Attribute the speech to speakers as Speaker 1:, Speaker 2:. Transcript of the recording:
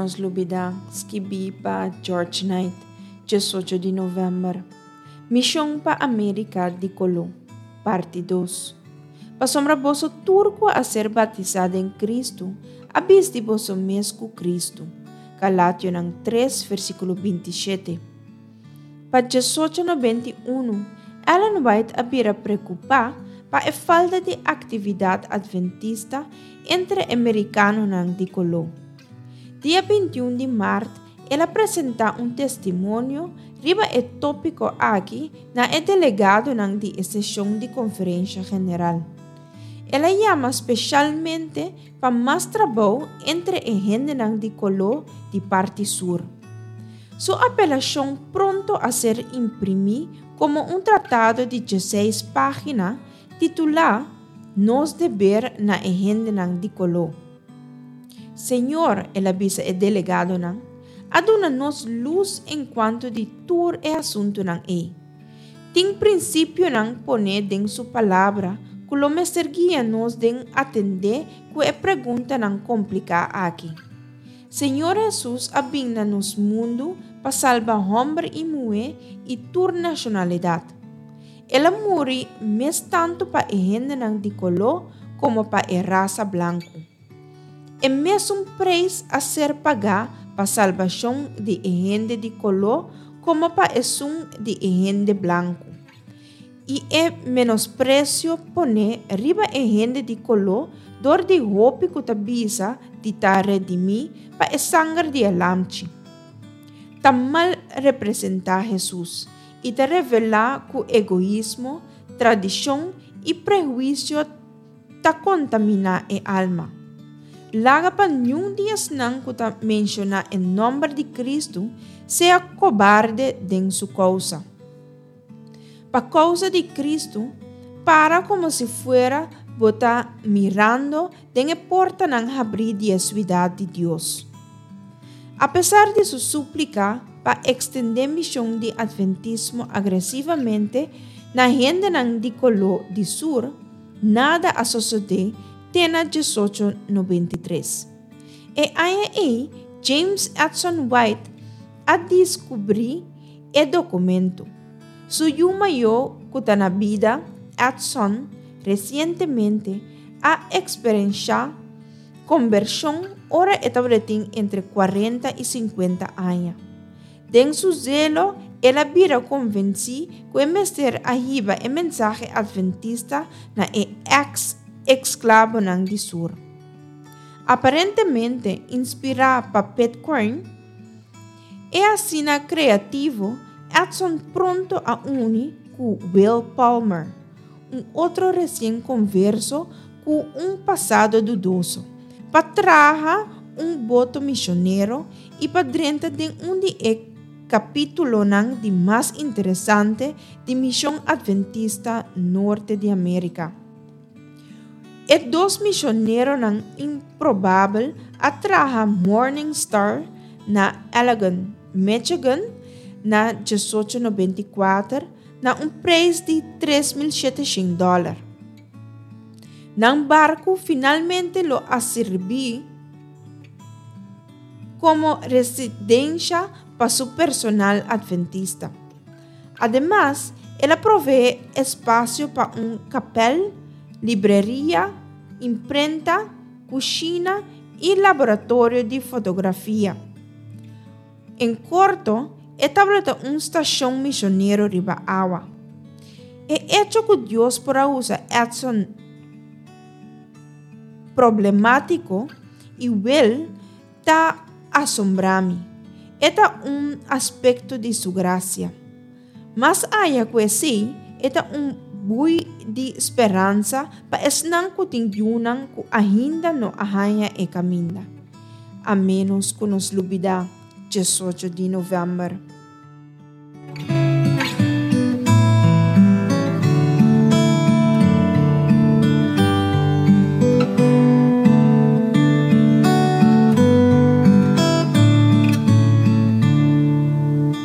Speaker 1: nos lubidá, skibí pa George Knight, 18 di novèmber. Mishon pa Amérika di Koló, Parti dos. Pasobra boso tur ku a ser batisá den Kristu a bisti boso mes ku Kristu. Galationan tres, versíkulo 27. Pa 1891, Ellen White a bira preokupá pa e falta di aktividat adventista entre e merikanonan di koló. Dia 21 di mart el a presentá un testimonio riba e tópiko aki na e delegadonan di e seshon di konferensha general. El a yama speshalmente pa mas trabou entre e hendenan di koló di parti sur. Su apelashon pronto a ser imprimí komo un tratado di dieseis página titulá Nos deber na e hendenan di koló. Señor, el a bisa e delegadonan, a duna nos lus enkuanto di tur e asuntunan ei. Tin prinsipionan poné den su Palabra ku lo mester guia nos den atendé ku e preguntanan kompliká aki. Señor Hesus a bin na nos mundu pa salba hòmber i muhé i tur nashonalidat. El a muri mes tantu pa e hendenan di koló komo pa e rasa blanku. E mesun preis a ser pagá pa salbashon di e hende di koló komo pa esun di e hende blanku. I e menospresio poné riba e hende di koló dor di hopi ku ta bisa di ta redimí pa e sanger di e Lamchi, ta mal representá Hesus i ta revelá ku egoismo, tradishon i prehuisio ta kontaminá e alma. Laga pa niun di esnan ku ta menshoná e nòmber di Kristu sea kobarde den su kousa. Pa kousa di Kristu, para komo si fuera bo ta mirando den e portanan habrí di e suidat di Dios. Apesar di su súplika pa ekstendé mishon di atventismo agresivamente na hendenan di koló di sur, nada a sosodé te na 1893. E aña ei, James Edson White a diskubrí e dokumento. Su yu mayó ku ta na bida, Edson, resientemente a eksperenshá kombershon ora e tabatin entre kuarenta i sinkuenta aña. Den su zelo, el a bira konvensí ku e mester a hiba e mensahe atventista na e eks-esklabonan di Sur. Aparentemente inspirá pa Pitcairn, e asina kreativo Edson pronto a uni ku Will Palmer, un otro resien konverso ku un pasado dudoso, pa traha un boto misionero i pa drenta den un di e kapítulonan di mas interesante di mishon atventista norte di Amérika. E dos misioneronan improbabel a traha Morning Star na Allegan, Michigan, na 1894 na un preis di 3700 dòler. Nan barku finalmente lo a sirbi komo residensha pa su personal atventista. Ademas, el a proveé espasio pa un kapèl, libreria, imprenta, kushina i laboratorio di fotografia. En korto, e tabata un stashon misionero riba awa. E echo ku Dios por a usa Edson problemátiko i Will ta asombrá mi. E ta un aspekto di su grasia. Mas aya ku esei, e ta un bui di speransa pa esnan ku tin yunan ku ainda no a haña e kaminda. A ménos ku nos lubidá 18 di novèmber.